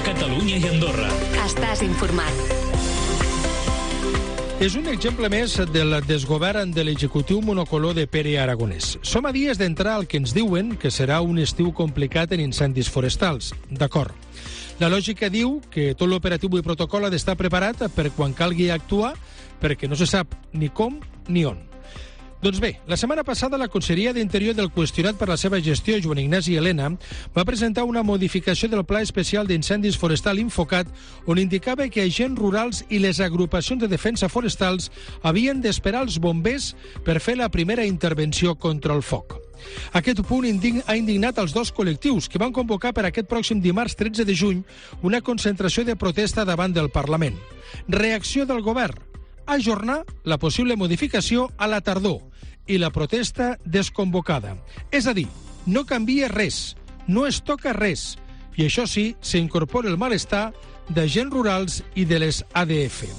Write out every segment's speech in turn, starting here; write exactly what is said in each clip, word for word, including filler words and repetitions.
Catalunya i Andorra. Estàs informat. És un exemple més del desgovern de l'executiu monocolor de Pere Aragonès. Som a dies d'entrar al que ens diuen que serà un estiu complicat en incendis forestals. D'acord. La lògica diu que tot l'operatiu i protocol ha d'estar preparat per quan calgui actuar, perquè no se sap ni com ni on. Doncs bé, la setmana passada la Conselleria d'Interior del qüestionat per la seva gestió, Joan Ignasi Elena, va presentar una modificació del Pla Especial d'Incendis Forestal Infocat, on indicava que agents rurals i les agrupacions de defensa forestals havien d'esperar els bombers per fer la primera intervenció contra el foc. Aquest punt ha indignat els dos col·lectius que van convocar per aquest pròxim dimarts tretze de juny una concentració de protesta davant del Parlament. Reacció del govern: ajornar la possible modificació a la tardor i la protesta desconvocada. És a dir, no canvia res, no es toca res, i això sí, s'incorpora el malestar d'agents rurals i de les A D F.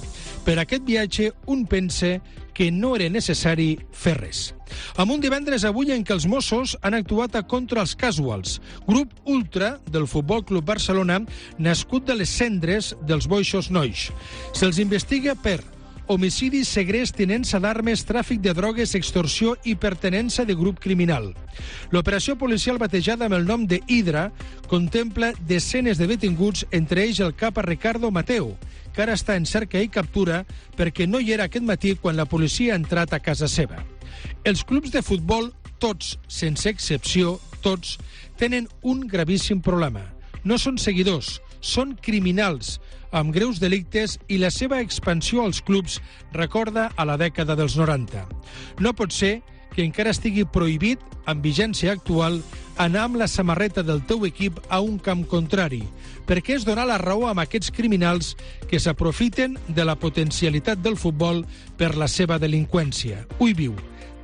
Per aquest viatge, un pensa que no era necessari fer res. Amb un divendres avui en què els Mossos han actuat a contra els Casuals, grup ultra del Futbol Club Barcelona, nascut de les cendres dels Boixos Nois. Se'ls investiga per homicidi, segrest, tinença d'armes, tràfic de drogues, extorsió i pertenença de grup criminal. L'operació policial batejada amb el nom de Hidra contempla desenes de detinguts, entre ells el capa Ricardo Mateo, que ara està en cerca i captura perquè no hi era aquest matí quan la policia ha entrat a casa seva. Els clubs de futbol, tots, sense excepció, tots, tenen un gravíssim problema. No són seguidors, són criminals, amb greus delictes, i la seva expansió als clubs recorda a la dècada dels noranta. No pot ser que encara estigui prohibit, amb vigència actual, anar amb la samarreta del teu equip a un camp contrari, perquè és donar la raó a aquests criminals que s'aprofiten de la potencialitat del futbol per la seva delinqüència. Ui viu,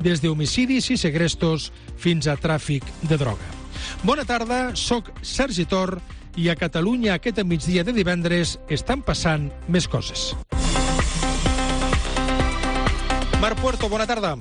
des d'homicidis i segrestos fins a tràfic de droga. Bona tarda, soc Sergi Tor, i a Catalunya aquest migdia de divendres estan passant més coses. Marc Puerto, bona tarda.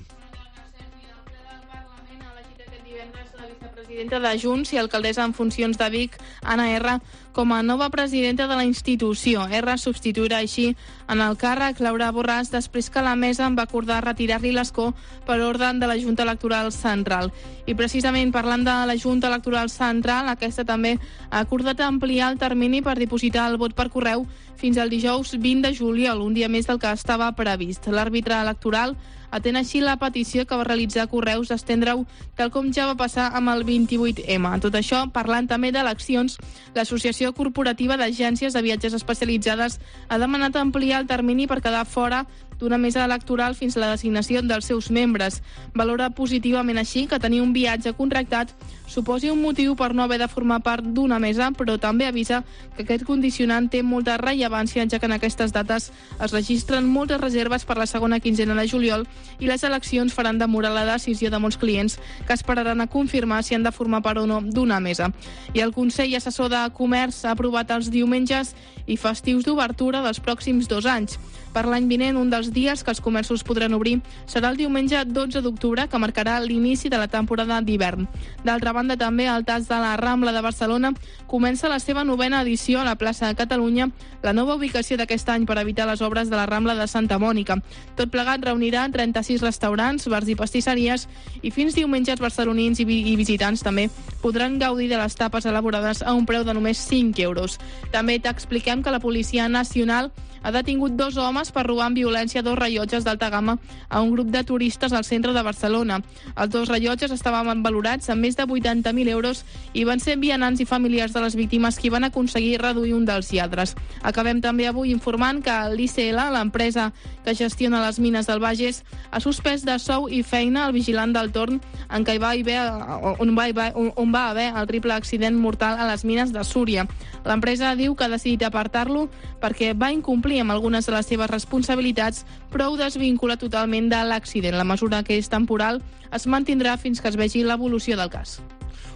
La vicepresidenta de Junts i alcaldessa en funcions de Vic, Anna R., com a nova presidenta de la institució. R substituirà així en el càrrec Laura Borràs després que la mesa va acordar retirar-li l'escó per ordre de la Junta Electoral Central. I precisament parlant de la Junta Electoral Central, aquesta també ha acordat ampliar el termini per dipositar el vot per correu fins al dijous vint de juliol, un dia més del que estava previst. L'àrbitre electoral atén així la petició que va realitzar Correus d'estendre-ho tal com ja va passar amb el vint-i-vuit ema. Tot això, parlant també d'eleccions, l'Associació Corporativa d'Agències de Viatges Especialitzades ha demanat ampliar el termini per quedar fora d'una mesa electoral fins a la designació dels seus membres. Valora positivament així que tenir un viatge contractat suposi un motiu per no haver de formar part d'una mesa, però també avisa que aquest condicionant té molta rellevància, ja que en aquestes dates es registren moltes reserves per la segona quinzena de juliol i les eleccions faran demorar la decisió de molts clients que esperaran a confirmar si han de formar part o no d'una mesa. I el Consell Assessor de Comerç ha aprovat els diumenges i festius d'obertura dels pròxims dos anys. Per l'any vinent, un dels dies que els comerços podran obrir serà el diumenge dotze d'octubre, que marcarà l'inici de la temporada d'hivern. D'altra banda, també el Tas de la Rambla de Barcelona comença la seva novena edició a la plaça de Catalunya, la nova ubicació d'aquest any per evitar les obres de la Rambla de Santa Mònica. Tot plegat reunirà trenta-sis restaurants, bars i pastisseries, i fins diumenge els barcelonins i, vi i visitants també podran gaudir de les tapes elaborades a un preu de només cinc euros. També t'expliquem que la Policia Nacional ha detingut dos homes per robar amb violència dos rellotges d'alta gamma a un grup de turistes al centre de Barcelona. Els dos rellotges estaven valorats en més de vuitanta mil euros i van ser vianants i familiars de les víctimes qui van aconseguir reduir un dels lladres. Acabem també avui informant que l'I C L, l'empresa que gestiona les mines del Bages, ha suspès de sou i feina el vigilant del torn en què hi va haver, on, va, on va haver el triple accident mortal a les mines de Súria. L'empresa diu que ha decidit apartar-lo perquè va incomplir amb algunes de les seves responsabilitats, però ho desvincula totalment de l'accident. La mesura, que és temporal, es mantindrà fins que es vegi l'evolució del cas.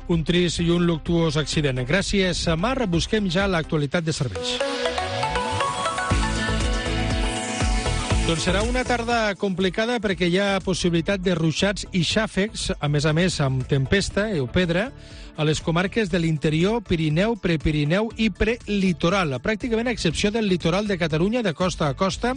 Un trist i un luctuós accident. Gràcies, Mar. Busquem ja l'actualitat de serveis. Doncs serà una tarda complicada perquè hi ha possibilitat de ruixats i xàfecs, a més a més amb tempesta o pedra, a les comarques de l'interior, Pirineu, Prepirineu i Prelitoral. Pràcticament a excepció del litoral de Catalunya, de costa a costa,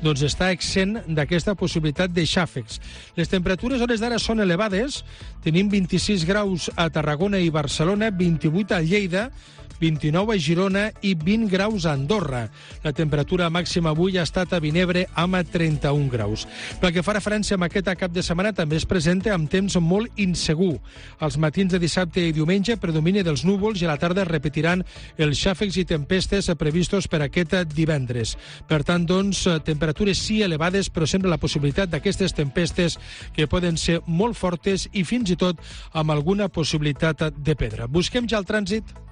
doncs està exempt d'aquesta possibilitat de xàfecs. Les temperatures a hores d'ara són elevades. Tenim vint-i-sis graus a Tarragona i Barcelona, vint-i-vuit a Lleida, vint-i-nou a Girona i vint graus a Andorra. La temperatura màxima avui ha estat a Vinebre amb trenta-un graus. Pel que fa referència a aquest cap de setmana, també es presenta amb temps molt insegur. Els matins de dissabte i diumenge predomini dels núvols i a la tarda es repetiran els xàfecs i tempestes previstos per aquest divendres. Per tant, doncs, temperatures sí elevades, però sempre la possibilitat d'aquestes tempestes que poden ser molt fortes i fins i tot amb alguna possibilitat de pedra. Busquem ja el trànsit.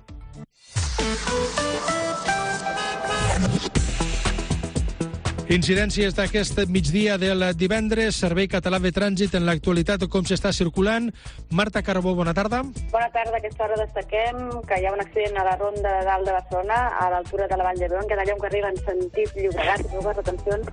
Incidències d'aquest migdia del divendres, Servei Català de Trànsit en l'actualitat, com s'està circulant. Marta Carbó, bona tarda. Bona tarda. A aquesta hora destaquem que hi ha un accident a la ronda de dalt de Barcelona, a l'altura de la Vall d'Hebron, que d'allà on arriba en sentit Llobregat, i dues retencions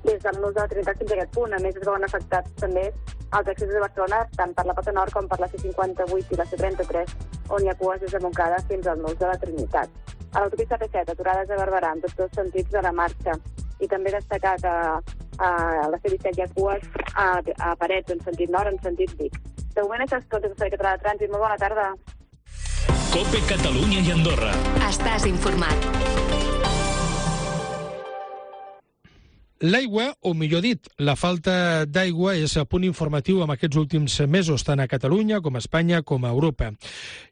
des del nus de la Trinitat fins a aquest punt. A més, es veuen afectats també els accessos de Barcelona, tant per la Pota Nord com per la C cinquanta-vuit i la C trenta-tres, on hi ha cues des de Montcada fins al nus de la Trinitat. A l'autopista P set, aturades a Barberà, en tots dos sentits de la marxa. I també destacar que a la C disset hi ha cues a, a Parets, en sentit nord, en sentit Vic. De moment, això és tot, el Servei Català de Trànsit. Molt bona tarda. COPE Catalunya i Andorra. Estàs informat. L'aigua, o millor dit, la falta d'aigua és a punt informatiu amb aquests últims mesos, tant a Catalunya com a Espanya com a Europa.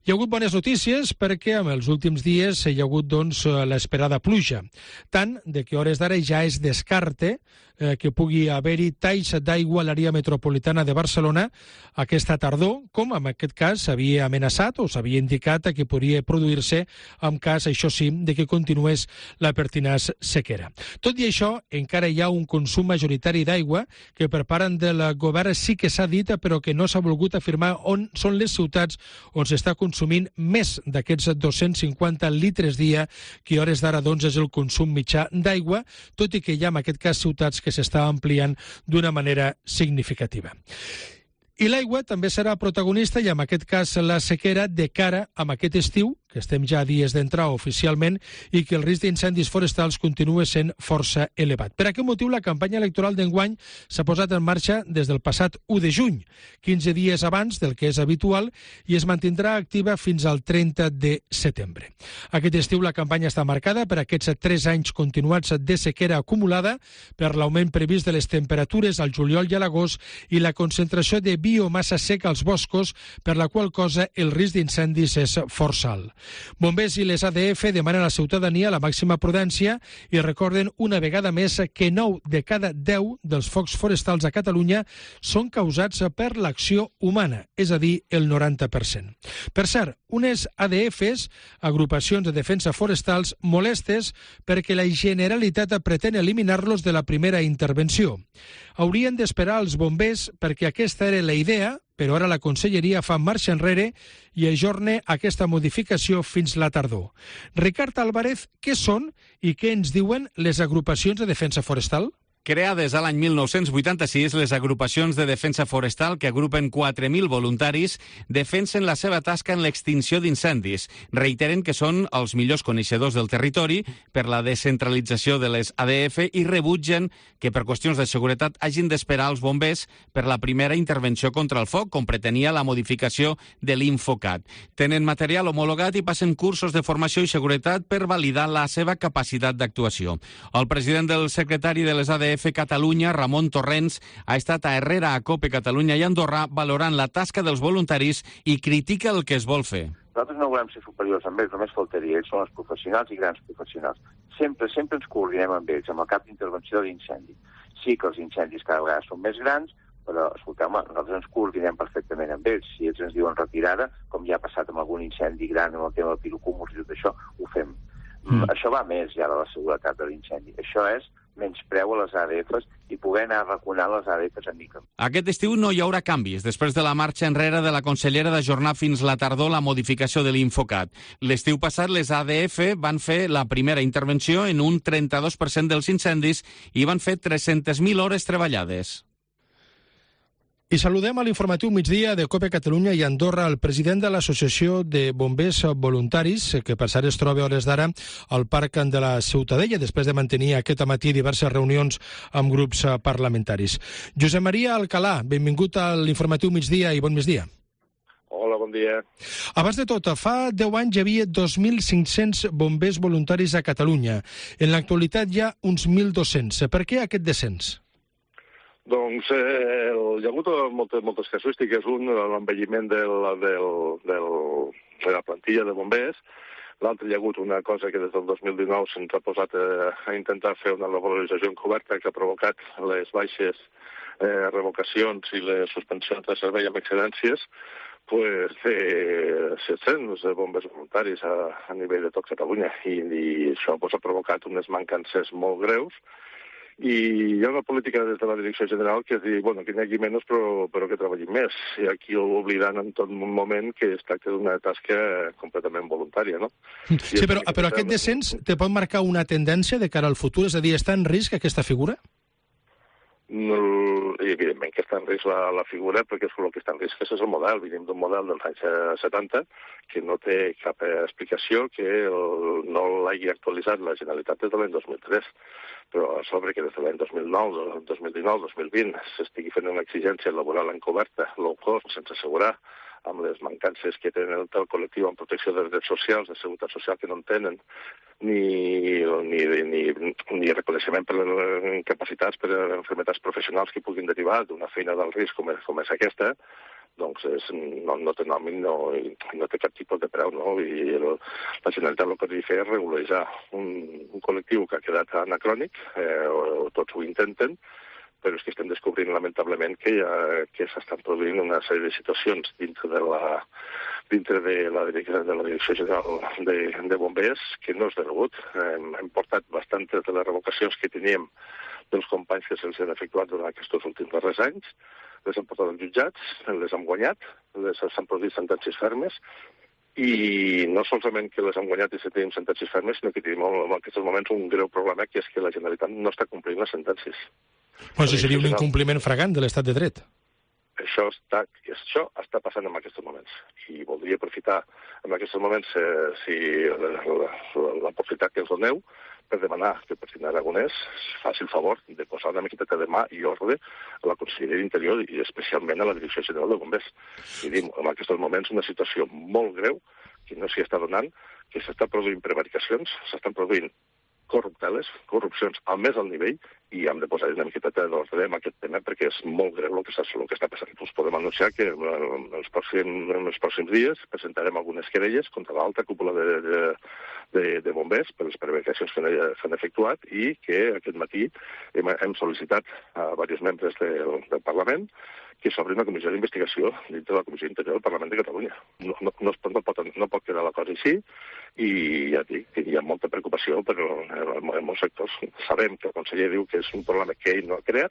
Hi ha hagut bones notícies perquè en els últims dies hi ha hagut doncs, l'esperada pluja, tant de que a hores d'ara ja es descarte eh, que pugui haver-hi talls d'aigua a l'àrea metropolitana de Barcelona aquesta tardor, com en aquest cas s'havia amenaçat o s'havia indicat que podria produir-se en cas, això sí, de que continués la pertinaç sequera. Tot i això, encara hi ha un consum majoritari d'aigua que per part del govern sí que s'ha dit, però que no s'ha volgut afirmar on són les ciutats on s'està consumint més d'aquests dos-cents cinquanta litres dia, que a hores d'ara doncs, és el consum mitjà d'aigua, tot i que hi ha en aquest cas ciutats que s'està ampliant d'una manera significativa. I l'aigua també serà protagonista, i en aquest cas la sequera, de cara a aquest estiu, que estem ja a dies d'entrar oficialment, i que el risc d'incendis forestals continua sent força elevat. Per aquest motiu, la campanya electoral d'enguany s'ha posat en marxa des del passat u de juny, quinze dies abans del que és habitual, i es mantindrà activa fins al trenta de setembre. Aquest estiu la campanya està marcada per aquests tres anys continuats de sequera acumulada, per l'augment previst de les temperatures al juliol i a l'agost i la concentració de biomassa seca als boscos, per la qual cosa el risc d'incendis és força alt. Bombers i les A D F demanen a la ciutadania la màxima prudència i recorden una vegada més que nou de cada deu dels focs forestals a Catalunya són causats per l'acció humana, és a dir, el noranta per cent. Per cert, unes A D Fs, agrupacions de defensa forestals, molestes perquè la Generalitat pretén eliminar-los de la primera intervenció. Haurien d'esperar els bombers perquè aquesta era la idea, però ara la Conselleria fa marxa enrere i ajorna aquesta modificació fins la tardor. Ricard Álvarez, què són i què ens diuen les agrupacions de defensa forestal? Creades a l'any mil nou-cents vuitanta-sis, les agrupacions de defensa forestal, que agrupen quatre mil voluntaris, defensen la seva tasca en l'extinció d'incendis. Reiteren que són els millors coneixedors del territori per la descentralització de les A D F i rebutgen que per qüestions de seguretat hagin d'esperar els bombers per la primera intervenció contra el foc, com pretenia la modificació de l'Infocat. Tenen material homologat i passen cursos de formació i seguretat per validar la seva capacitat d'actuació. El president del secretari de les A D F Catalunya, Ramon Torrents, ha estat a Herrera, a COPE Catalunya i Andorra, valorant la tasca dels voluntaris i critica el que es vol fer. Nosaltres no volem ser superiors amb ells, només faltaria. Ells són els professionals i grans professionals. Sempre, sempre ens coordinem amb ells, amb el cap d'intervenció d'incendi. Sí que els incendis cada vegada són més grans, però, escolteu, nosaltres ens coordinem perfectament amb ells. Si ells ens diuen retirada, com ja ha passat amb algun incendi gran, amb el tema del pirocúmuls i tot això, ho fem. Mm. Això va més ja de la seguretat de l'incendi. Això és menyspreu a les A D Fs i poder anar arraconant les A D Fs a mica. Aquest estiu no hi haurà canvis, després de la marxa enrere de la consellera d'ajornar fins la tardor la modificació de l'Infocat. L'estiu passat les A D F van fer la primera intervenció en un trenta-dos per cent dels incendis i van fer tres-centes mil hores treballades. I saludem a l'informatiu migdia de COPE Catalunya i Andorra el president de l'Associació de Bombers Voluntaris, que per cert es troba a hores d'ara al Parc de la Ciutadella, després de mantenir aquest matí diverses reunions amb grups parlamentaris. Josep Maria Alcalà, benvingut a l'informatiu migdia i bon migdia. Hola, bon dia. Abans de tot, fa deu anys hi havia dos mil cinc-cents bombers voluntaris a Catalunya. En l'actualitat hi ha uns mil dos-cents. Per què aquest descens? Doncs eh, hi ha hagut moltes, moltes casuístiques. Un, l'envelliment del, del, del, de la plantilla de bombers. L'altre, hi ha hagut una cosa que des del dos mil dinou se'ns ha posat a, a intentar fer una revalorització encoberta que ha provocat les baixes eh, revocacions i les suspensions de servei amb excedències, pues, eh, set-cents bombers voluntaris a, a nivell de tot Catalunya. I, i això pues, ha provocat unes mancances molt greus. I hi ha una política des de la Direcció General que és dir, bueno, que n'hi hagi menys però, però que treballin més. I aquí oblidant en tot moment que es tracta d'una tasca completament voluntària, no? Sí, però, però aquest descens te pot marcar una tendència de cara al futur? És a dir, està en risc aquesta figura? No, evidentment que està en risc la, la figura, perquè és el que està en risc és el model. Venim d'un model dels anys setanta que no té cap explicació, que el, no l'hagi actualitzat la Generalitat des de l'any dos mil tres, però a sobre que des de l'any dos mil nou, dos mil dinou, dos mil vint s'estigui fent una exigència laboral encoberta, low cost, sense assegurar, amb les mancances que tenen el col·lectiu en protecció de drets socials, de seguretat social que no en tenen, ni, ni, ni, ni reconeixement per incapacitats, per enfermetats professionals que puguin derivar d'una feina d'alt risc com és, com és aquesta, doncs és, no, no té nom i no, no té cap tipus de preu, no? I el, la Generalitat el que ha de fer és regularitzar un, un col·lectiu que ha quedat anacrònic, eh, o, o tots ho intenten, però és que estem descobrint, lamentablement, que, ha, que s'estan produint una sèrie de situacions dintre de la, dintre de la, de la Direcció General de, de Bombers que no és de rebut. Hem, hem portat bastantes de les revocacions que teníem dels companys que se'ls han efectuat durant aquests últims darrers anys, les hem portat als jutjats, les hem guanyat, les s'han produït sentències fermes, i no solament que les hem guanyat i se tenim sentències fermes, sinó que tenim en aquests moments un greu problema, que és que la Generalitat no està complint les sentències. Però això seria un incompliment fragant de l'estat de dret. Això està, això està passant en aquests moments. I voldria aprofitar en aquests moments eh, si la, la, la possibilitat que ens doneu per demanar que el president Aragonès faci el favor de posar una miqueta de mà i ordre a la Conselleria d'Interior i especialment a la Direcció General de Bombers. I dic, en aquests moments una situació molt greu que no s'hi està donant, que s'estan produint prevaricacions, s'estan produint corrupteles, corrupcions al més alt nivell, i hem de posar una miqueta d'ordre en aquest tema perquè és molt greu el que està, el que està passant. Us podem anunciar que en els pròxims, en els pròxims dies presentarem algunes querelles contra l'alta cúpula de, de, de, de bombers per les prevaricacions que s'han efectuat i que aquest matí hem, hem sol·licitat a diversos membres de, del Parlament que s'obri una comissió d'investigació dintre de la Comissió Interior del Parlament de Catalunya. No, no, no, no, pot, no pot quedar la cosa així i ja dic que hi ha molta preocupació, però en, en molts sectors sabem que el conseller diu que és un problema que ell no ha creat,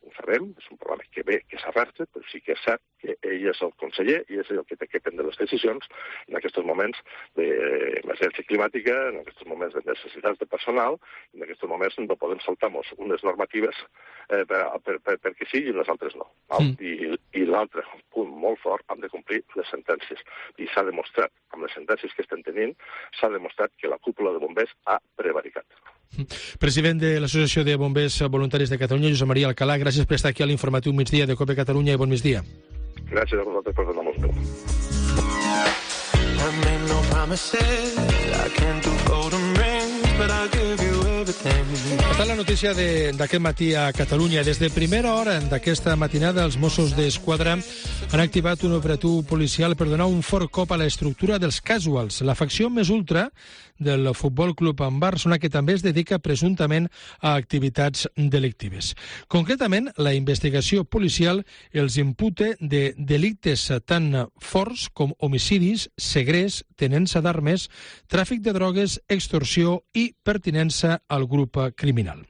ho sabem, és un problema que ve, que s'arrastra, però sí que és cert que ell és el conseller i és el que té que prendre les decisions en aquests moments d'emergència climàtica, en aquests moments de necessitats de personal, en aquests moments no podem saltar-nos unes normatives eh, per, per, per, perquè sí i les altres no. Mm. I, i l'altre punt molt fort, hem de complir les sentències. I s'ha demostrat, amb les sentències que estem tenint, s'ha demostrat que la cúpula de bombers ha prevaricat. President de l'Associació de Bombers Voluntaris de Catalunya, Josep Maria Alcalà, gràcies per estar aquí a l'informatiu migdia de COPE Catalunya i bon migdia. Gràcies a vosaltres per donar-nos veu. Està la notícia d'aquest matí a Catalunya. Des de primera hora d'aquesta matinada, els Mossos d'Esquadra han activat un operatiu policial per donar un fort cop a l'estructura dels casuals, la facció més ultra del Futbol Club Barcelona, que també es dedica presumptament a activitats delictives. Concretament, la investigació policial els imputa de delictes tan forts com homicidis, segrest, tenença d'armes, tràfic de drogues, extorsió i pertinença al grup criminal.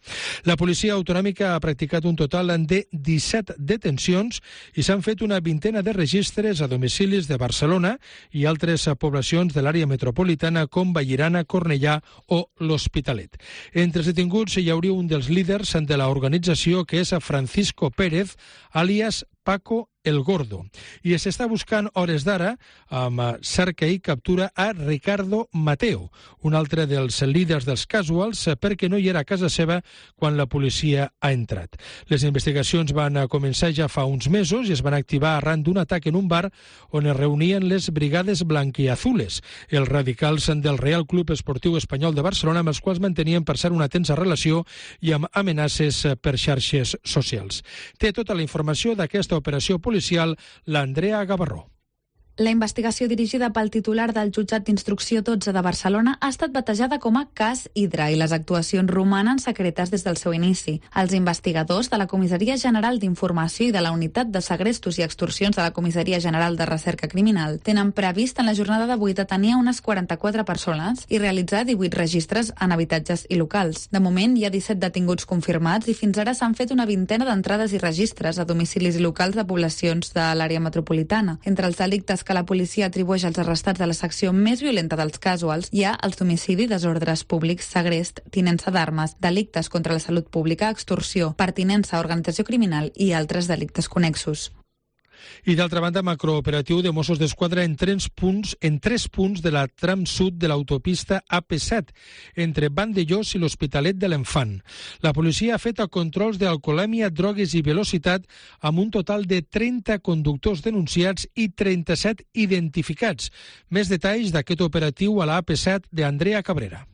La policia autonòmica ha practicat un total de disset detencions i s'han fet una vintena de registres a domicilis de Barcelona i altres poblacions de l'àrea metropolitana com Vallirana, Cornellà o l'Hospitalet. Entre els detinguts hi hauria un dels líders de l'organització, que és Francisco Pérez, àlies Paco el Gordo. I s'està buscant hores d'ara, amb cerca i captura, a Ricardo Mateo, un altre dels líders dels casuals, perquè no hi era a casa seva quan la policia ha entrat. Les investigacions van començar ja fa uns mesos i es van activar arran d'un atac en un bar on es reunien les brigades blanquiazules, els radicals del Real Club Esportiu Espanyol de Barcelona, amb els quals mantenien, per cert, una tensa relació i amb amenaces per xarxes socials. Té tota la informació d'aquesta operació policial l'Andrea Gavarró. La investigació dirigida pel titular del jutjat d'instrucció dotze de Barcelona ha estat batejada com a cas Hidra i les actuacions romanen secretes des del seu inici. Els investigadors de la Comissaria General d'Informació i de la Unitat de Segrestos i Extorsions de la Comissaria General de Recerca Criminal tenen previst en la jornada d'avui detenir unes quaranta-quatre persones i realitzar divuit registres en habitatges i locals. De moment hi ha disset detinguts confirmats i fins ara s'han fet una vintena d'entrades i registres a domicilis i locals de poblacions de l'àrea metropolitana. Entre els delictes que la policia atribueix als arrestats de la secció més violenta dels casuals hi ha els d'homicidi, desordres públics, segrest, tinença d'armes, delictes contra la salut pública, extorsió, pertinença a organització criminal i altres delictes connexos. I d'altra banda, macrooperatiu de Mossos d'Esquadra en tres punts, en tres punts de la tram sud de l'autopista A P set, entre Vandellós i l'Hospitalet de l'Enfant. La policia ha fet controls d'alcoholèmia, drogues i velocitat amb un total de trenta conductors denunciats i trenta-set identificats. Més detalls d'aquest operatiu a la A P set d'Andrea Cabrera.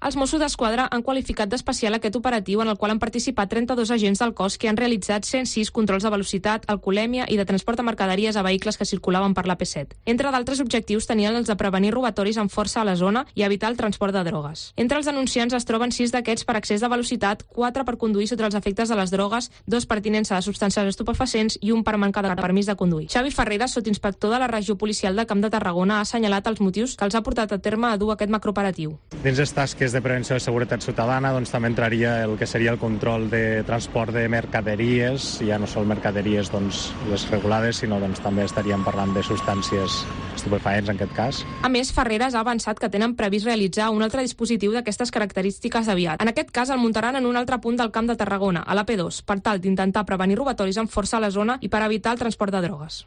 Els Mossos d'Esquadra han qualificat d'especial aquest operatiu en el qual han participat trenta-dos agents del cos que han realitzat cent sis controls de velocitat, alcoholèmia i de transport de mercaderies a vehicles que circulaven per l'A P set. Entre d'altres objectius tenien els de prevenir robatoris amb força a la zona i evitar el transport de drogues. Entre els denunciants es troben sis d'aquests per excés de velocitat, quatre per conduir sota els efectes de les drogues, dos per tinença de substàncies estupefacients i un per manca de permís de conduir. Xavi Ferreras, sotsinspector de la regió policial de Camp de Tarragona, ha assenyalat els motius que els ha portat a terme a dur aquest macrooperatiu. Dins les tasques de prevenció de seguretat ciutadana doncs, també entraria el que seria el control de transport de mercaderies, ja no són mercaderies doncs, les regulades, sinó doncs, també estaríem parlant de substàncies estupefaents en aquest cas. A més, Ferreras ha avançat que tenen previst realitzar un altre dispositiu d'aquestes característiques aviat. En aquest cas el muntaran en un altre punt del Camp de Tarragona, a l'A P dos, per tal d'intentar prevenir robatoris amb força a la zona i per evitar el transport de drogues.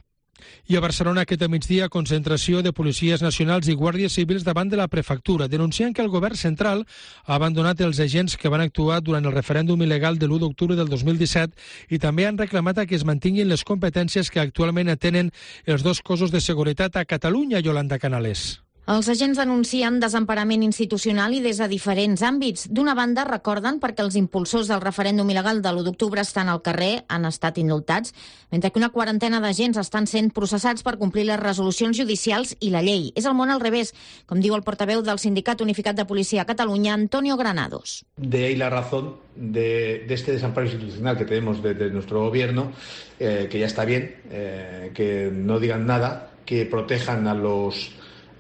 I a Barcelona aquest migdia, concentració de policies nacionals i guàrdies civils davant de la prefectura, denunciant que el govern central ha abandonat els agents que van actuar durant el referèndum il·legal de l'u d'octubre del dos mil disset i també han reclamat que es mantinguin les competències que actualment tenen els dos cossos de seguretat a Catalunya, Yolanda Canales. Els agents denuncien desemparament institucional i des de diferents àmbits. D'una banda, recorden perquè els impulsors del referèndum il·legal de l'u d'octubre estan al carrer, han estat indultats, mentre que una quarantena d'agents estan sent processats per complir les resolucions judicials i la llei. És el món al revés, com diu el portaveu del Sindicat Unificat de Policia a Catalunya, Antonio Granados. De ahí la razón de, de este desamparo institucional que tenemos de, de nuestro gobierno, eh, que ya está bien, eh, que no digan nada, que protejan a los...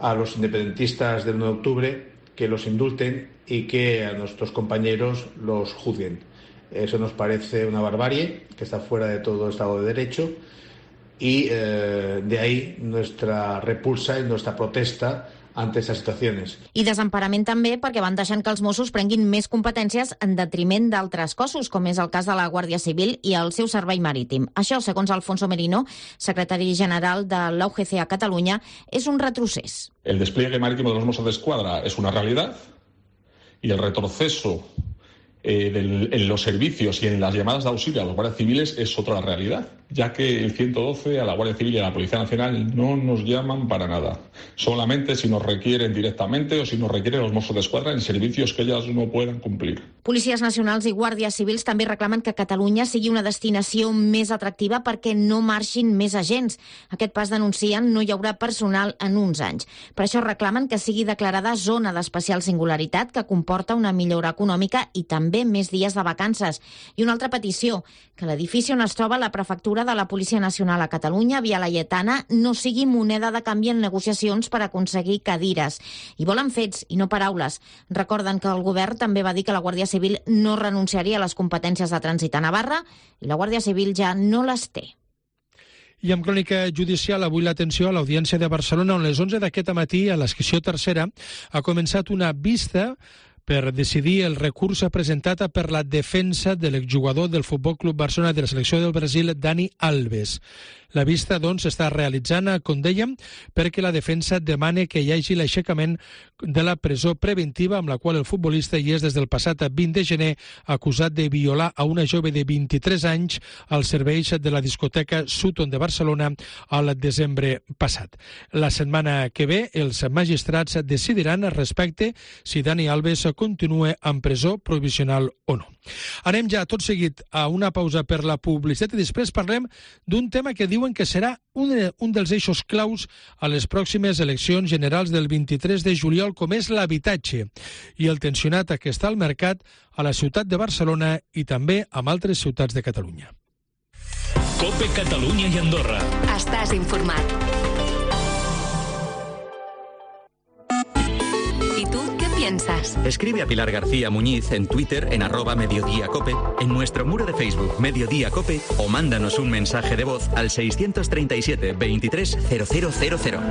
a los independentistas del uno de octubre, que los indulten y que a nuestros compañeros los juzguen. Eso nos parece una barbarie, que está fuera de todo Estado de Derecho, y eh, de ahí nuestra repulsa y nuestra protesta ante estas situaciones. I desemparament també perquè van deixant que els Mossos prenguin més competències en detriment d'altres cossos, com és el cas de la Guàrdia Civil i el seu servei marítim. Això, segons Alfonso Merino, secretari general de la U G C a Catalunya, és un retrocés. El despliegue marítimo de los Mossos d'Esquadra es una realidad y el retroceso eh, del, en los servicios y en las llamadas de auxilio a los guardias civiles es otra realidad, ya que el ciento doce a la Guardia Civil y a la Policía Nacional no nos llaman para nada, solamente si nos requieren directamente o si nos requieren los Mossos d'Esquadra en servicios que ellas no puedan cumplir. Policies nacionals i guàrdies civils també reclamen que Catalunya sigui una destinació més atractiva perquè no marxin més agents. Aquest pas, denuncien, no hi haurà personal en uns anys. Per això reclamen que sigui declarada zona d'especial singularitat, que comporta una millora econòmica i també més dies de vacances. I una altra petició, que l'edifici on es troba la prefectura de la Policia Nacional a Catalunya, Via Laietana, no sigui moneda de canvi en negociacions per aconseguir cadires. I volen fets i no paraules. Recorden que el govern també va dir que la Guàrdia Civil no renunciaria a les competències de trànsit a Navarra i la Guàrdia Civil ja no les té. I amb crònica judicial, avui l'atenció a l'Audiència de Barcelona, on les onze d'aquest matí, a la secció tercera, ha començat una vista per decidir el recurs presentat per la defensa de l'exjugador del Futbol Club Barcelona de la selecció del Brasil, Dani Alves. La vista, doncs, està realitzant, com dèiem, perquè la defensa demana que hi hagi l'aixecament de la presó preventiva amb la qual el futbolista hi és des del passat vint de gener acusat de violar a una jove de vint-i-tres anys als serveis de la discoteca Sutton de Barcelona al desembre passat. La setmana que ve, els magistrats decidiran respecte si Dani Alves continua en presó provisional o no. Anem ja tot seguit a una pausa per la publicitat i després parlem d'un tema que diuen que serà un, un dels eixos claus a les pròximes eleccions generals del vint-i-tres de juliol, com és l'habitatge i el tensionat que està al mercat a la ciutat de Barcelona i també a altres ciutats de Catalunya. COPE Catalunya i Andorra. Estàs informat. Piensas. Escribe a Pilar García Muñiz en Twitter en arroba Mediodía Cope, en nuestro muro de Facebook Mediodía Cope o mándanos un mensaje de voz al seiscientos treinta y siete veintitrés cero cero cero cero.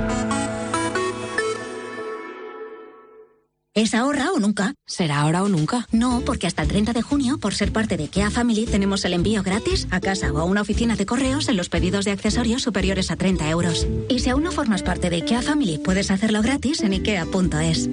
¿Es ahora o nunca? ¿Será ahora o nunca? No, porque hasta el treinta de junio, por ser parte de IKEA Family, tenemos el envío gratis a casa o a una oficina de correos en los pedidos de accesorios superiores a treinta euros. Y si aún no formas parte de IKEA Family, puedes hacerlo gratis en ikea punto es.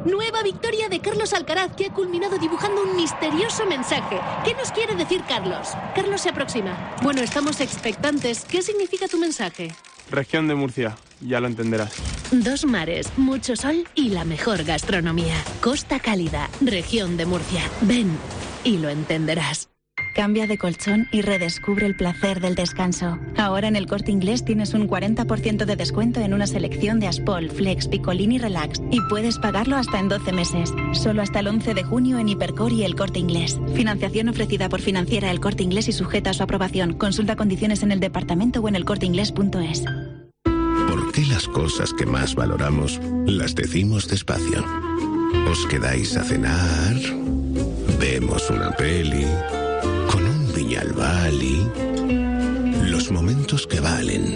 Nueva victoria de Carlos Alcaraz, que ha culminado dibujando un misterioso mensaje. ¿Qué nos quiere decir Carlos? Carlos se aproxima. Bueno, estamos expectantes. ¿Qué significa tu mensaje? Región de Murcia, ya lo entenderás. Dos mares, mucho sol y la mejor gastronomía. Costa Cálida, región de Murcia. Ven y lo entenderás. Cambia de colchón y redescubre el placer del descanso. Ahora en El Corte Inglés tienes un cuarenta por ciento de descuento en una selección de Aspol, Flex, Picolín y Relax. Y puedes pagarlo hasta en doce meses. Solo hasta el once de junio en Hipercor y El Corte Inglés. Financiación ofrecida por Financiera El Corte Inglés y sujeta a su aprobación. Consulta condiciones en el departamento o en el corte inglés punto es. ¿Por qué las cosas que más valoramos las decimos despacio? ¿Os quedáis a cenar? ¿Vemos una peli? ¿Con un Viñalbali? Los momentos que valen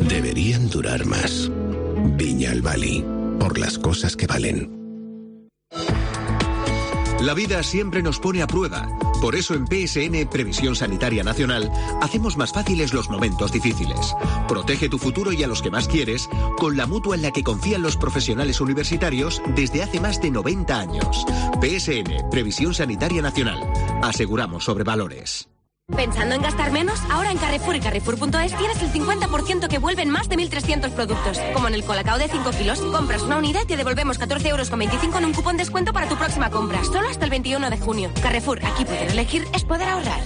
deberían durar más. Viñalbali, por las cosas que valen. La vida siempre nos pone a prueba. Por eso en P S N Previsión Sanitaria Nacional hacemos más fáciles los momentos difíciles. Protege tu futuro y a los que más quieres con la mutua en la que confían los profesionales universitarios desde hace más de noventa años. P S N Previsión Sanitaria Nacional. Aseguramos sobre valores. ¿Pensando en gastar menos? Ahora en Carrefour y Carrefour punto es tienes el cincuenta por ciento que vuelven más de mil trescientos productos. Como en el Colacao de cinco kilos, compras una unidad y te devolvemos catorce euros con veinticinco en un cupón de descuento para tu próxima compra. Solo hasta el veintiuno de junio. Carrefour, aquí poder elegir es poder ahorrar.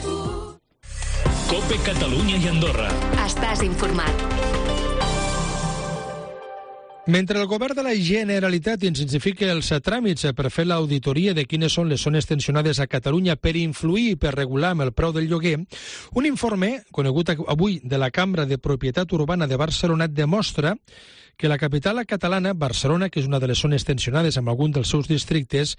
COPE Catalunya i Andorra. Estàs informat. Mentre el govern de la Generalitat intensifica els tràmits per fer l'auditoria de quines són les zones tensionades a Catalunya per influir i per regular amb el preu del lloguer, un informe conegut avui de la Cambra de Propietat Urbana de Barcelona demostra que la capital catalana, Barcelona, que és una de les zones tensionades amb algun dels seus districtes,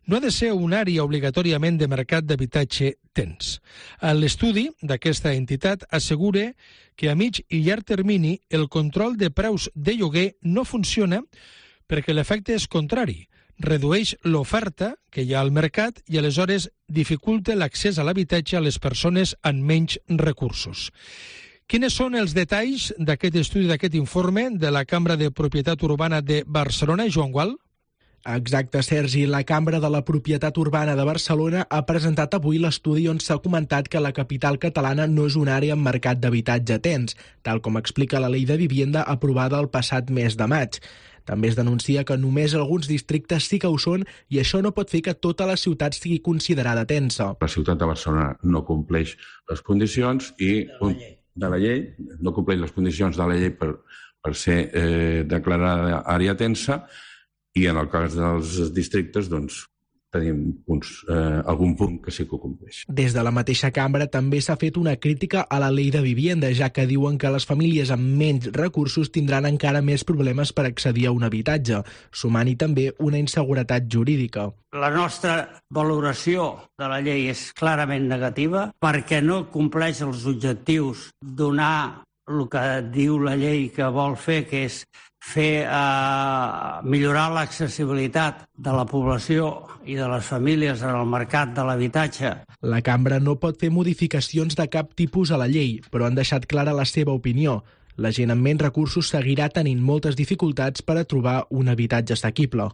no ha de ser una àrea obligatòriament de mercat d'habitatge tens. L'estudi d'aquesta entitat assegura que a mig i llarg termini el control de preus de lloguer no funciona perquè l'efecte és contrari. Redueix l'oferta que hi ha al mercat i aleshores dificulta l'accés a l'habitatge a les persones amb menys recursos. Quins són els detalls d'aquest estudi, d'aquest informe de la Cambra de Propietat Urbana de Barcelona, Joan Gual? Exacte, Sergi. La Cambra de la Propietat Urbana de Barcelona ha presentat avui l'estudi on s'ha comentat que la capital catalana no és una àrea amb mercat d'habitatge tens, tal com explica la Llei de Vivienda aprovada el passat mes de maig. També es denuncia que només alguns districtes sí que ho són i això no pot fer que tota la ciutat sigui considerada tensa. La ciutat de Barcelona no compleix les condicions i de la llei, no compleix les condicions de la llei per, per ser eh, declarada àrea tensa i en el cas dels districtes doncs, tenim punts, eh, algun punt que sí que ho compleix. Des de la mateixa cambra també s'ha fet una crítica a la Llei de Vivienda, ja que diuen que les famílies amb menys recursos tindran encara més problemes per accedir a un habitatge, sumant-hi també una inseguretat jurídica. La nostra valoració de la llei és clarament negativa perquè no compleix els objectius donar el que diu la llei que vol fer, que és fer eh, millorar l'accessibilitat de la població i de les famílies en el mercat de l'habitatge. La cambra no pot fer modificacions de cap tipus a la llei, però han deixat clara la seva opinió. La gent amb menys recursos seguirà tenint moltes dificultats per a trobar un habitatge assequible.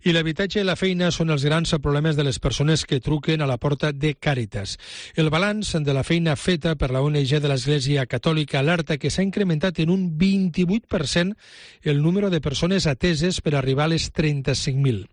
I l'habitatge i la feina són els grans problemes de les persones que truquen a la porta de Càritas. El balanç de la feina feta per la O N G de l'Església Catòlica alerta que s'ha incrementat en un vint-i-vuit per cent el número de persones ateses per arribar a les trenta-cinc mil.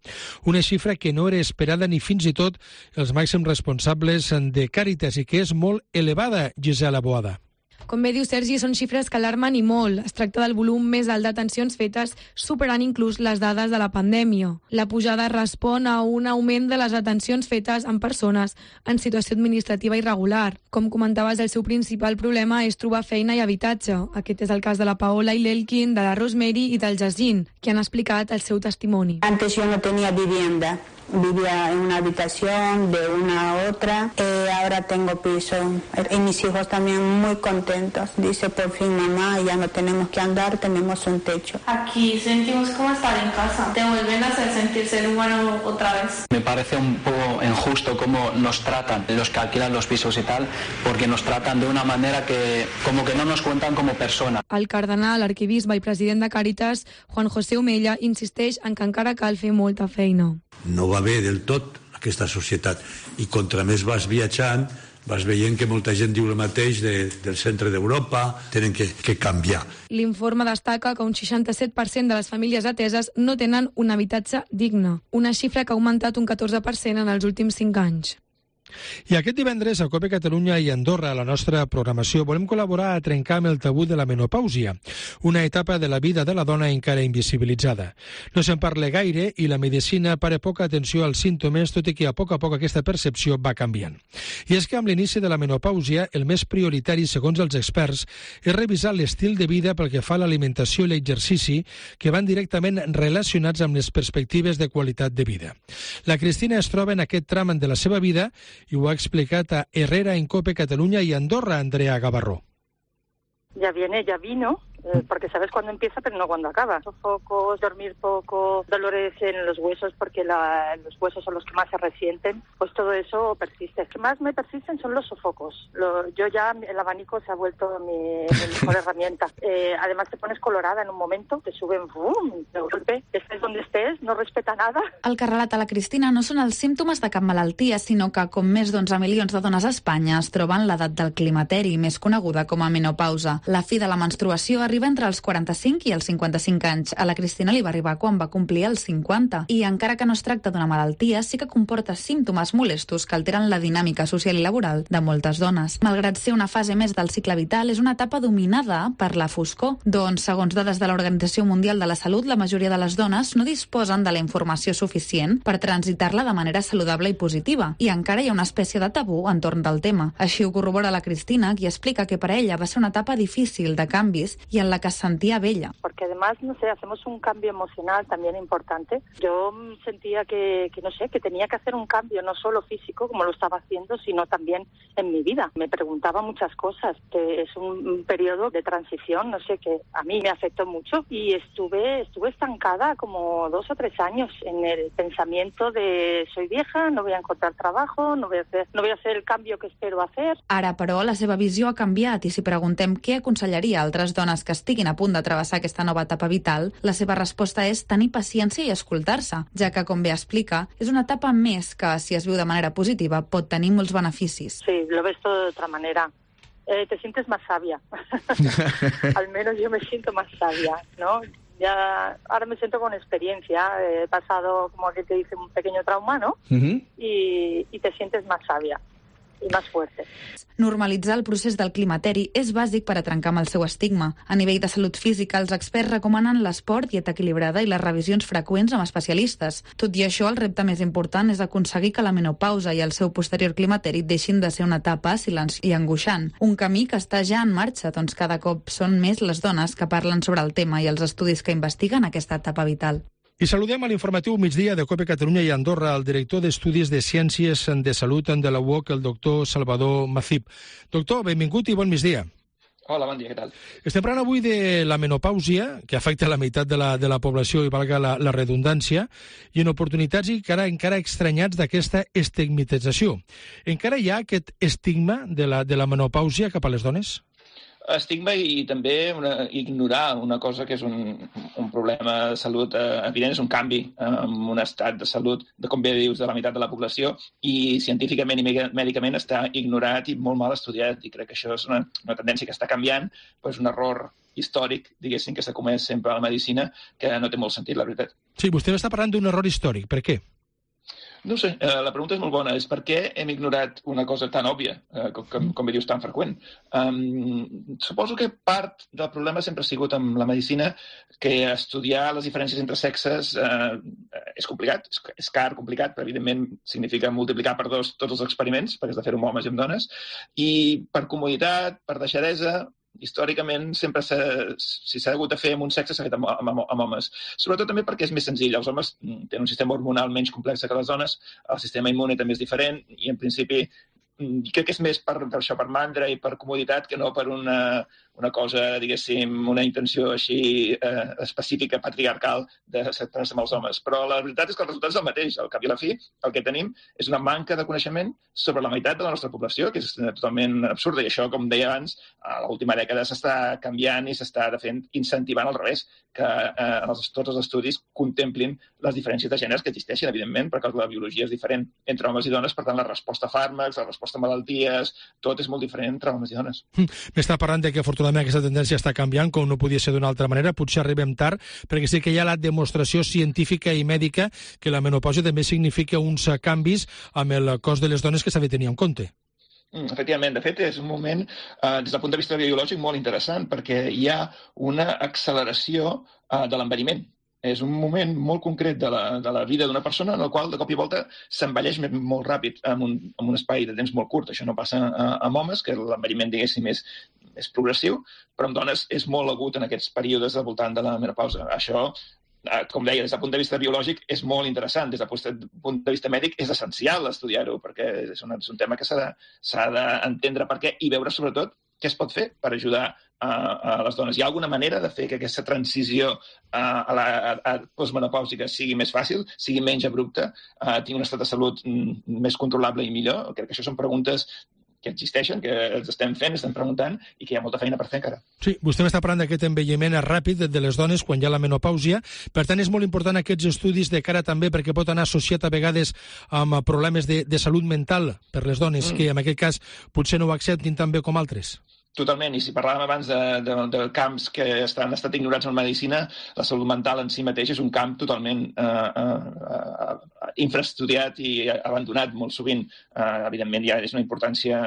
Una xifra que no era esperada ni fins i tot els màxims responsables de Càritas i que és molt elevada, Gisela Boada. Com bé diu Sergi, són xifres que alarmen i molt. Es tracta del volum més alt d'atencions fetes, superant inclús les dades de la pandèmia. La pujada respon a un augment de les atencions fetes amb persones en situació administrativa irregular. Com comentaves, el seu principal problema és trobar feina i habitatge. Aquest és el cas de la Paola i l'Elkin, de la Rosemary i del Jacint, que han explicat el seu testimoni. Antes yo no tenía vivienda. Vivía en una habitación de una a otra, eh, ahora tengo piso y mis hijos también muy contentos. Dice, por fin mamá, ya no tenemos que andar, tenemos un techo. Aquí sentimos como estar en casa, te vuelven a hacer sentir ser humano otra vez. Me parece un poco injusto cómo nos tratan los que alquilan los pisos y tal, porque nos tratan de una manera que como que no nos cuentan como personas. El cardenal, arquebisbe i president de Càritas, Juan José Omella, insisteix en que encara cal fer molta feina. No va bé del tot aquesta societat i contra més vas viatjant vas veient que molta gent diu el mateix de, del centre d'Europa, tenen que, que canviar. L'informe destaca que un seixanta-set per cent de les famílies ateses no tenen un habitatge digne, una xifra que ha augmentat un catorze per cent en els últims cinc anys. I aquest divendres a COPE Catalunya i Andorra, a la nostra programació, volem col·laborar a trencar amb el tabú de la menopàusia, una etapa de la vida de la dona encara invisibilitzada. No se'n parla gaire i la medicina para poca atenció als símptomes, tot i que a poc a poc aquesta percepció va canviant. I és que amb l'inici de la menopàusia, el més prioritari, segons els experts, és revisar l'estil de vida pel que fa a l'alimentació i l'exercici, que van directament relacionats amb les perspectives de qualitat de vida. La Cristina es troba en aquest tram de la seva vida i ho ha explicat a Herrera en COPE Catalunya i Andorra, Andrea Gavarró. Ya viene, ya vino, eh, porque sabes cuándo empieza pero no cuándo acaba. Sofocos, dormir poco, dolores en los huesos porque la, los huesos son los que más se resienten, pues todo eso persiste. Lo que más me persisten son los sofocos. Lo, yo ya, el abanico se ha vuelto mi, mi mejor herramienta. Eh, además te pones colorada en un momento, te suben, ¡bum!, de golpe. Estés donde estés, no respeta nada. El que relata la Cristina no són els símptomes de cap malaltia, sinó que, com més d'onze milions de dones a Espanya, es troben l'edat del climateri, més coneguda com a menopausa. La fi de la menstruació arriba entre els quaranta-cinc i els cinquanta-cinc anys. A la Cristina li va arribar quan va complir els cinquanta. I encara que no es tracta d'una malaltia, sí que comporta símptomes molestos que alteren la dinàmica social i laboral de moltes dones. Malgrat ser una fase més del cicle vital, és una etapa dominada per la foscor. Doncs, segons dades de l'Organització Mundial de la Salut, la majoria de les dones no disposen de la informació suficient per transitar-la de manera saludable i positiva. I encara hi ha una espècie de tabú entorn del tema. Així ho corrobora la Cristina, qui explica que per a ella va ser una etapa difícil de canvis y en la que sentía bella. Porque además, no sé, hacemos un cambio emocional también importante. Yo sentía que, que, no sé, que tenía que hacer un cambio no solo físico, como lo estaba haciendo, sino también en mi vida. Me preguntaba muchas cosas, que es un, un periodo de transición, no sé, que a mí me afectó mucho y estuve, estuve estancada como dos o tres años en el pensamiento de soy vieja, no voy a encontrar trabajo, no voy a hacer, no voy a hacer el cambio que espero hacer. Ara, però, la seva visió ha canviat i si preguntem què aconsellaria a altres dones que estiguin a punt de travessar aquesta nova etapa vital, la seva resposta és tenir paciència i escoltar-se, ja que, com bé explica, és una etapa més que, si es viu de manera positiva, pot tenir molts beneficis. Sí, lo ves todo de otra manera. Eh, te sientes más sabia. Al menos yo me siento más sabia, ¿no? Ya ahora me siento con experiencia. He pasado, como que te dice, un pequeño trauma, ¿no? Uh-huh. y, y te sientes más sabia i més fuerte. Normalitzar el procés del climateri és bàsic per a trencar amb el seu estigma. A nivell de salut física, els experts recomanen l'esport, dieta equilibrada i les revisions freqüents amb especialistes. Tot i això, el repte més important és aconseguir que la menopausa i el seu posterior climateri deixin de ser una etapa silenciosa i angoixant. Un camí que està ja en marxa, doncs cada cop són més les dones que parlen sobre el tema i els estudis que investiguen aquesta etapa vital. I saludem a l'informatiu migdia de COPE Catalunya i Andorra el director d'Estudis de Ciències de Salut de la U O C, el doctor Salvador Macip. Doctor, benvingut i bon migdia. Hola, bon dia, què tal? Estem parlant avui de la menopàusia, que afecta la meitat de la, de la població, i valga la, la redundància, i en oportunitats i encara, encara estranyats d'aquesta estigmatització. Encara hi ha aquest estigma de la, de la menopàusia cap a les dones? Estigma i també una, ignorar una cosa que és un, un problema de salut eh, evident, és un canvi eh, en un estat de salut, de com bé dius, de la meitat de la població, i científicament i mèdicament està ignorat i molt mal estudiat, i crec que això és una, una tendència que està canviant, però és un error històric, diguéssim, que s'ha comès sempre a la medicina, que no té molt sentit, la veritat. Sí, vostè està parlant d'un error històric. Per què? No ho sé, eh, la pregunta és molt bona. És per què hem ignorat una cosa tan òbvia, eh, com, com, com dius, tan freqüent. Um, suposo que part del problema sempre ha sigut amb la medicina que estudiar les diferències entre sexes eh, és complicat, és, és car, complicat, però evidentment significa multiplicar per dos tots els experiments, perquè has de fer-ho amb homes i amb dones, i per comoditat, per deixadesa, històricament, sempre si s'ha hagut de fer amb un sexe s'ha fet amb, amb, amb homes. Sobretot també perquè és més senzill. Els homes tenen un sistema hormonal menys complex que les dones, el sistema immune també és diferent i, en principi, crec que és més per, per això, per mandra i per comoditat que no per una, una cosa, diguéssim, una intenció així eh, específica, patriarcal, de centrar-se amb els homes. Però la veritat és que el resultat és el mateix. Al cap i a la fi, el que tenim és una manca de coneixement sobre la meitat de la nostra població, que és totalment absurda. I això, com deia abans, a l'última dècada s'està canviant i s'està fent incentivant al revés, que eh, els, tots els estudis contemplin les diferències de gèneres que existeixen, evidentment, perquè la biologia és diferent entre homes i dones, per tant, la resposta a fàrmacs, la resposta a malalties, tot és molt diferent entre homes i dones. M'està parlant de que, afortunadament, aquesta tendència està canviant, com no podia ser d'una altra manera. Potser arribem tard, perquè sí que hi ha la demostració científica i mèdica que la menopàusia també significa uns canvis amb el cos de les dones que s'ha de tenir en compte. Efectivament, de fet, és un moment, eh, des del punt de vista biològic, molt interessant, perquè hi ha una acceleració eh, de l'envelliment. És un moment molt concret de la, de la vida d'una persona en el qual, de cop i volta, s'envelleix molt ràpid en un, en un espai de temps molt curt. Això no passa amb homes, que l'envelliment, diguéssim, és, és progressiu, però amb dones és molt agut en aquests períodes al voltant de la menopausa. Això, com deia, des del punt de vista biològic és molt interessant. Des del punt de vista mèdic és essencial estudiar-ho, perquè és un, és un tema que s'ha d'entendre per què i veure, sobretot, què es pot fer per ajudar a, a les dones. Hi ha alguna manera de fer que aquesta transició a, a la a, a postmenopàusica sigui més fàcil, sigui menys abrupta, a, tingui un estat de salut m, més controlable i millor? Crec que això són preguntes que existeixen, que els estem fent, estem preguntant i que hi ha molta feina per fer encara. Sí, vostè m'està parlant d'aquest envelliment ràpid de les dones quan hi ha la menopàusia. Per tant, és molt important aquests estudis de cara també perquè pot anar associat a vegades amb problemes de, de salut mental per les dones, mm. que en aquest cas potser no ho acceptin tan bé com altres. Totalment, i si parlàvem abans de, de, de camps que estan, han estat ignorats en medicina, la salut mental en si mateix és un camp totalment eh, eh, infraestudiat i abandonat molt sovint. Eh, evidentment ja és una importància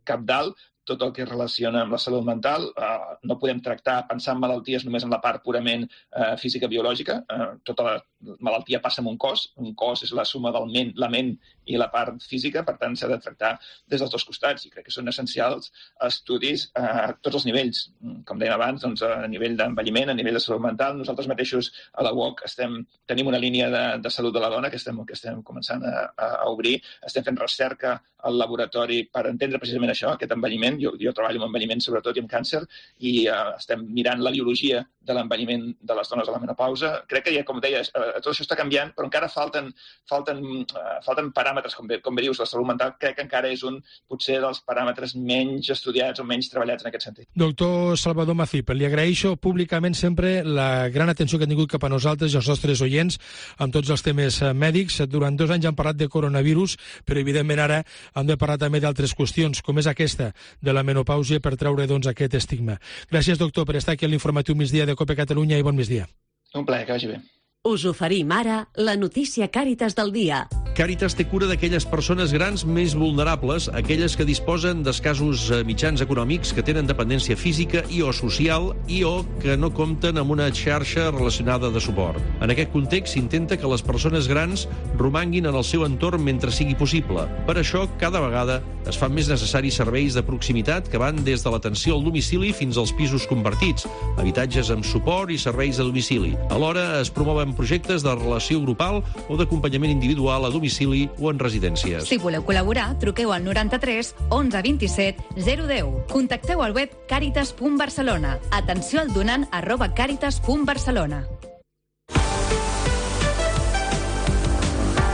cabdal, tot el que es relaciona amb la salut mental. Eh, no podem tractar, pensar en malalties només en la part purament eh, física-biològica. Eh, tota la malaltia passa en un cos. Un cos és la suma del ment, la ment i la part física, per tant s'ha de tractar des dels dos costats i crec que són essencials estudis a tots els nivells. Com dèiem abans, doncs, a nivell d'envelliment, a nivell de salut mental, nosaltres mateixos a la U O C estem, tenim una línia de, de salut de la dona que estem, que estem començant a, a obrir, estem fent recerca al laboratori per entendre precisament això, aquest envelliment. Jo, jo treballo amb envelliment sobretot i amb càncer i uh, estem mirant la biologia de l'envelliment de les dones a la menopausa. Crec que, ja, com deies, eh, tot això està canviant, però encara falten, falten, eh, falten paràmetres, com bé, com bé dius, la salut mental crec que encara és un, potser, dels paràmetres menys estudiats o menys treballats en aquest sentit. Doctor Salvador Macip, li agraeixo públicament sempre la gran atenció que ha tingut cap a nosaltres i els nostres oients amb tots els temes mèdics. Durant dos anys han parlat de coronavirus, però evidentment ara hem de parlar també d'altres qüestions, com és aquesta de la menopàusia, per treure doncs, aquest estigma. Gràcies, doctor, per estar aquí a l'informatiu migdia de COPE Catalunya i bon migdia. Un plaer, que vagi bé. Us oferim ara la notícia Càritas del dia. Càritas té cura d'aquelles persones grans més vulnerables, aquelles que disposen d'escassos mitjans econòmics, que tenen dependència física i o social i o que no compten amb una xarxa relacionada de suport. En aquest context s'intenta que les persones grans romanguin en el seu entorn mentre sigui possible. Per això, cada vegada es fan més necessaris serveis de proximitat que van des de l'atenció al domicili fins als pisos convertits, habitatges amb suport i serveis a domicili. Alhora es promouen projectes de relació grupal o d'acompanyament individual a domicili o en residències. Si voleu col·laborar, truqueu al noranta-tres onze vint-i-set zero deu. Contacteu al web caritas punt barcelona. Atenció al donant arroba caritas punt barcelona.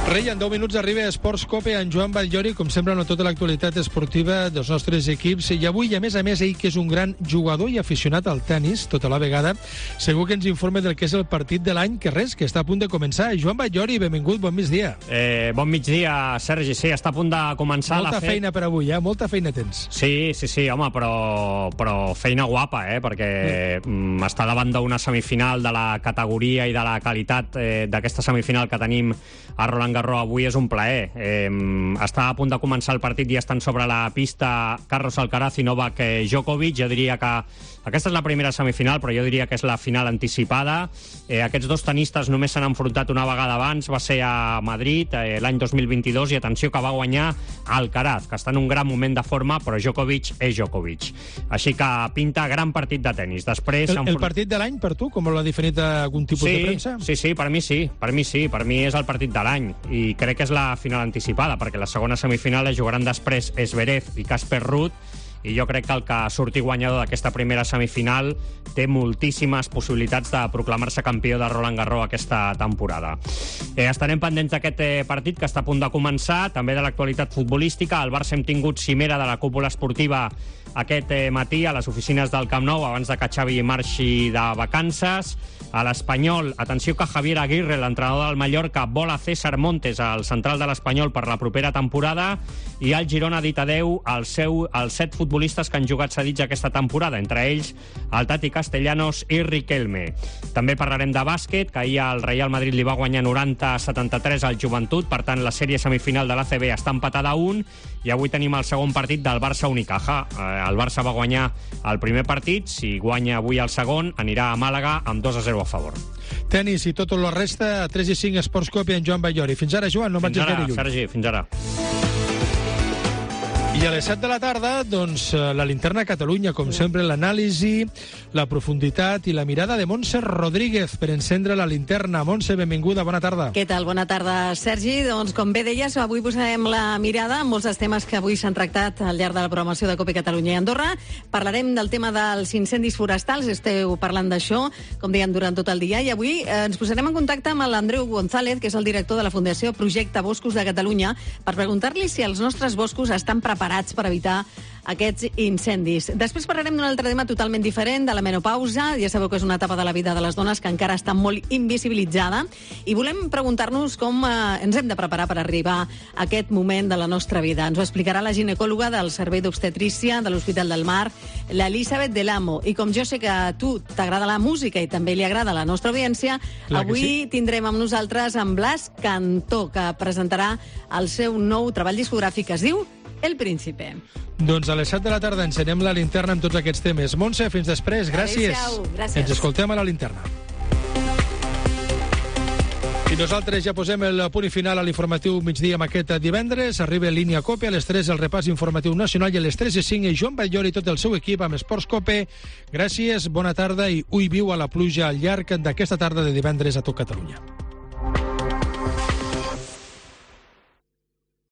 Rei, en deu minuts arriba a Esports Cope en Joan Batllori, com sempre, amb tota l'actualitat esportiva dels nostres equips. I avui, a més a més, ell, que és un gran jugador i aficionat al tennis, tota la vegada, segur que ens informa del que és el partit de l'any, que res, que està a punt de començar. Joan Batllori, benvingut, bon migdia. Eh, bon migdia, Sergi, sí, està a punt de començar. Molta la fe... feina per avui, eh? Molta feina tens. Sí, sí, sí, home, però, però feina guapa, eh? Perquè mm. està davant d'una semifinal de la categoria i de la qualitat eh, d'aquesta semifinal que tenim a Roland Garros avui és un plaer. Eh, està a punt de començar el partit i estan sobre la pista Carlos Alcaraz i Novak Djokovic. Jo diria que aquesta és la primera semifinal, però jo diria que és la final anticipada. Eh, aquests dos tenistes només s'han enfrontat una vegada abans, va ser a Madrid eh, l'any dos mil vint-i-dos, i atenció que va guanyar Alcaraz, que està en un gran moment de forma, però Djokovic és Djokovic. Així que pinta gran partit de tenis. Després, el, el partit de l'any per tu, com l'ha definit algun tipus sí, de premsa? Sí, sí, per mi sí, per mi sí, per mi és el partit de l'any, i crec que és la final anticipada, perquè la segona semifinal es jugaran després Zverev i Casper Ruud, i jo crec que el que surti guanyador d'aquesta primera semifinal té moltíssimes possibilitats de proclamar-se campió de Roland Garros aquesta temporada. Eh, estarem pendents d'aquest eh, partit que està a punt de començar, també de l'actualitat futbolística. Al Barça hem tingut cimera de la cúpula esportiva aquest eh, matí a les oficines del Camp Nou, abans de que Xavi marxi de vacances. A l'Espanyol, atenció que Javier Aguirre, l'entrenador del Mallorca, vol a César Montes, al central de l'Espanyol, per la propera temporada, i el Girona ha dit adeu als, seu, als set futbolistes que han jugat cedits aquesta temporada, entre ells el Tati Castellanos i Riquelme. També parlarem de bàsquet, que ahir el Real Madrid li va guanyar noranta a setanta-tres al Joventut, per tant la sèrie semifinal de l'A C B està empatada a un, i avui tenim el segon partit del Barça Unicaja. El Barça va guanyar el primer partit, si guanya avui el segon anirà a Màlaga amb dos a zero a favor. Tenis i tot la resta, a tres i cinc Esports Cope en Joan Batllori. Fins ara, Joan, no fins vagis ara, gaire lluny. Sergi, fins ara. I a les set de la tarda, doncs, la linterna Catalunya, com sempre, l'anàlisi, la profunditat i la mirada de Montse Rodríguez per encendre la linterna. Montse, benvinguda, bona tarda. Què tal? Bona tarda, Sergi. Doncs, com bé deies, avui posarem la mirada en molts dels temes que avui s'han tractat al llarg de la programació de COPE Catalunya i Andorra. Parlarem del tema dels incendis forestals, esteu parlant d'això, com dèiem, durant tot el dia, i avui eh, ens posarem en contacte amb l'Andreu González, que és el director de la Fundació Projecte Boscos de Catalunya, per preguntar-li si els nostres boscos estan preparats per evitar aquests incendis. Després parlarem d'un altre tema totalment diferent, de la menopausa. Ja sabeu que és una etapa de la vida de les dones que encara està molt invisibilitzada, i volem preguntar-nos com eh, ens hem de preparar per arribar a aquest moment de la nostra vida. Ens ho explicarà la ginecòloga del Servei d'Obstetrícia de l'Hospital del Mar, l'Elisabet Delamo. I com jo sé que a tu t'agrada la música i també li agrada a la nostra audiència, clar avui sí. Tindrem amb nosaltres en Blas Cantó, que presentarà el seu nou treball discogràfic que es diu El Príncipe. Doncs a les set de la tarda encenem la linterna amb tots aquests temes. Montse, fins després. Gràcies. Adéu-siau. Gràcies. Ens escoltem a la linterna. I nosaltres ja posem el punt final a l'informatiu migdia amb aquest divendres. Arriba en línia COPE, a les tres el repàs informatiu nacional, i a les tres i cinc i Joan Batllori i tot el seu equip amb Esports Cope. Gràcies, bona tarda i ui viu a la pluja al llarg d'aquesta tarda de divendres a tot Catalunya.